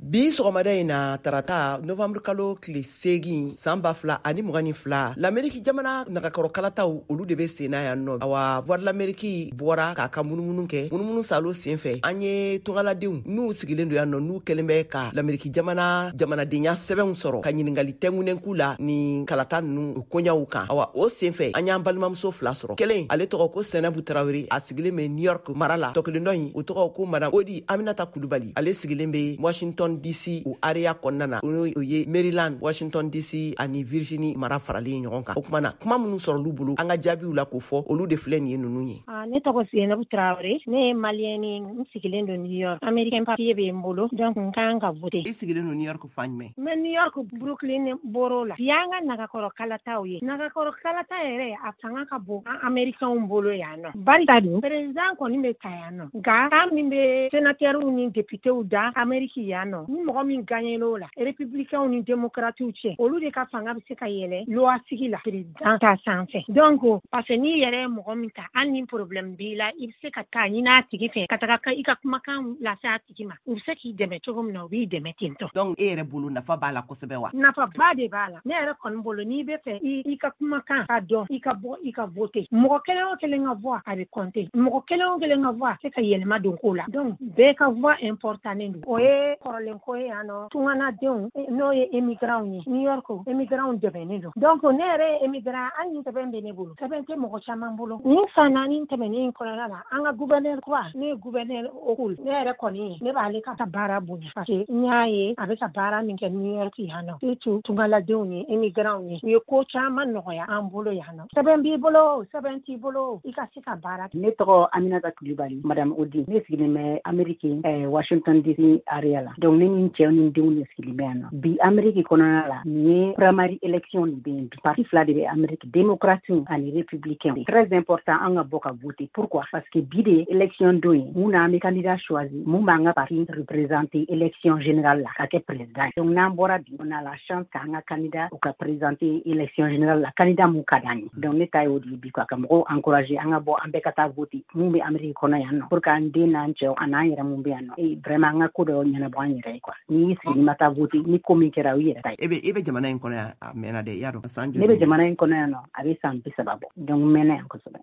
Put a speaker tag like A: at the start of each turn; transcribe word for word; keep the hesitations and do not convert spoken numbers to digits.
A: Bi sɔgɔmada in na, tarata, novembre kalo tile seegin, san ba fila ani mugan ni fila, Lameriki jamana nagakɔrɔ kalataw, olu de be senna yan nɔ. Awa, Voix de l'Amérique bɔra k'a ka munumunu kɛ. Munumunu salo sen fɛ, an ye tungaladenw n'u sigilen don yan nɔ, n'u kɛlen bɛ ka Lameriki jamana jamanadenya sɛbɛnw sɔrɔ, ka ɲiningali tɛngunen k'u la ni kalata nunu koɲaw kan. Awa, o sen fɛ, an y'an balimamuso fila sɔrɔ. Kelen, ale tɔgɔ ko Sɛnɛbu Tarawele, a sigilen bɛ New York mara la. Tɔ kelen dɔ in, o tɔgɔ ko Madame Odi Aminata Kulubali, ale sigilen bɛ Washington D C o area kɔnɔna na, o ye Maryland, Washington D C ani Virginie mara faralen ɲɔgɔn kan. O kuma na, kuma minnu sɔrɔlu bolo, an ka jaabiw la k'o fɔ, olu de filɛ nin ye, ninnu ye.
B: Ne tɔgɔ Zenabu Tarawele, ne ye Malienne, n sigilen don New York. Américain papier bɛ n bolo, donc n kan ka voter.
A: I sigilen don New York fan jumɛn?
B: N bɛ New York, Brooklyn borough la. Bi y'an ka nagakɔrɔ kalataw ye. Nagakɔrɔ kalata yɛrɛ, a fanga ka bon an Américains bolo yan nɔ. Barika dun, président kɔni bɛ ta yan nɔ, nka kan min bɛ sénateur ni députéw da Amérique yan nɔ, ni mɔgɔ min gagné l'o la, républicains ni démocrates cɛ, olu de ka fanga bɛ se ka yɛlɛ loi sigi la président ta sanfɛ. Donc parce que n'i yɛrɛ ye mɔgɔ min ta, hali ni problème b'i la, i bɛ se ka taa ɲini a tigi fɛ, ka taga i ka kumakan lase a tigi ma. U bɛ se k'i dɛmɛ cogo min na, u b'i dɛmɛ ten tɔ.
A: Donc e yɛrɛ bolo, nafa b'a la kosɛbɛ wa?
B: Nafaba de b'a la. Ne yɛrɛ kɔni bolo, n'i bɛ fɛ i ka kumakan ka dɔn, i ka bɔ i ka voter. Mɔgɔ kelen o kelen ka voix, a bɛ compter. Mɔgɔ kelen o kelen ka voix se ka yɛlɛma don ko la. Donc bɛɛ ka voix important don. O ye kɔrɔlen ko ye yan nɔ. Tunganadenw, n'o ye émigrants ye, New York émigrants dɛmɛnen don. Donc ne yɛrɛ ye émigrant, hali ni sɛbɛn bɛ ne bolo, sɛbɛn tɛ mɔgɔ caman bolo. Nin san naani tɛmɛnen kɔnɔna la, an ka gouverneur kura, ne ye gouverneur Hochul, ne yɛrɛ kɔni, ne b'ale ka baara bonya, parce que n y'a ye a bɛ ka baara min kɛ New York yan nɔ, surtout tungaladenw ye, émigrants ye. U ye ko caman nɔgɔya an bolo yan nɔ. Sɛbɛn b'i bolo, sɛbɛn t'i bolo, i ka se ka baara kɛ.
C: Ne tɔgɔ Aminata Kulibali, Madame Odi. Ne sigilen bɛ Amérique, eh, Washington D C area la. Donc ne ni n cɛw ni n denw de sigilen bɛ yan nɔ. Bi Amérique kɔnɔna la, nin ye primary election de bɛ yen bi. Parti fila de bɛ Amérique, démocrate ani républicain. Très important an ka bɔ ka voter. Pourquoi? Parce que bi de élection don ye mun na, an bɛ candidat choisi mun b'an ka parti représenter élection générale la ka kɛ président. Donc n'an bɔra bi, on a la chance k'an ka candidat u ka présenter élection générale la, candidat mun ka d'an ye. Donc ne ta y'o de ye bi quoi, ka mɔgɔw encourager an ka bɔ, an bɛɛ ka taa voter mun bɛ Amérique kɔnɔ yan nɔ, pour que an den n'an cɛw a n'an yɛrɛ mun bɛ yan nɔ, et vraiment an ka ko dɔ ɲɛnabɔ an yɛrɛ ye quoi. N'i y'i sigi, n'i ma taa voter, ni ko min kɛra, o y'i yɛrɛ ta ye.
A: E bɛ e bɛ jamana in kɔnɔ yan a mɛnna dɛ, i y'a dɔn, san
C: Ne bɛ jamana in kɔnɔ yan nɔ, a bɛ san bi saba bɔ. Donc n mɛnna yan kosɛbɛ.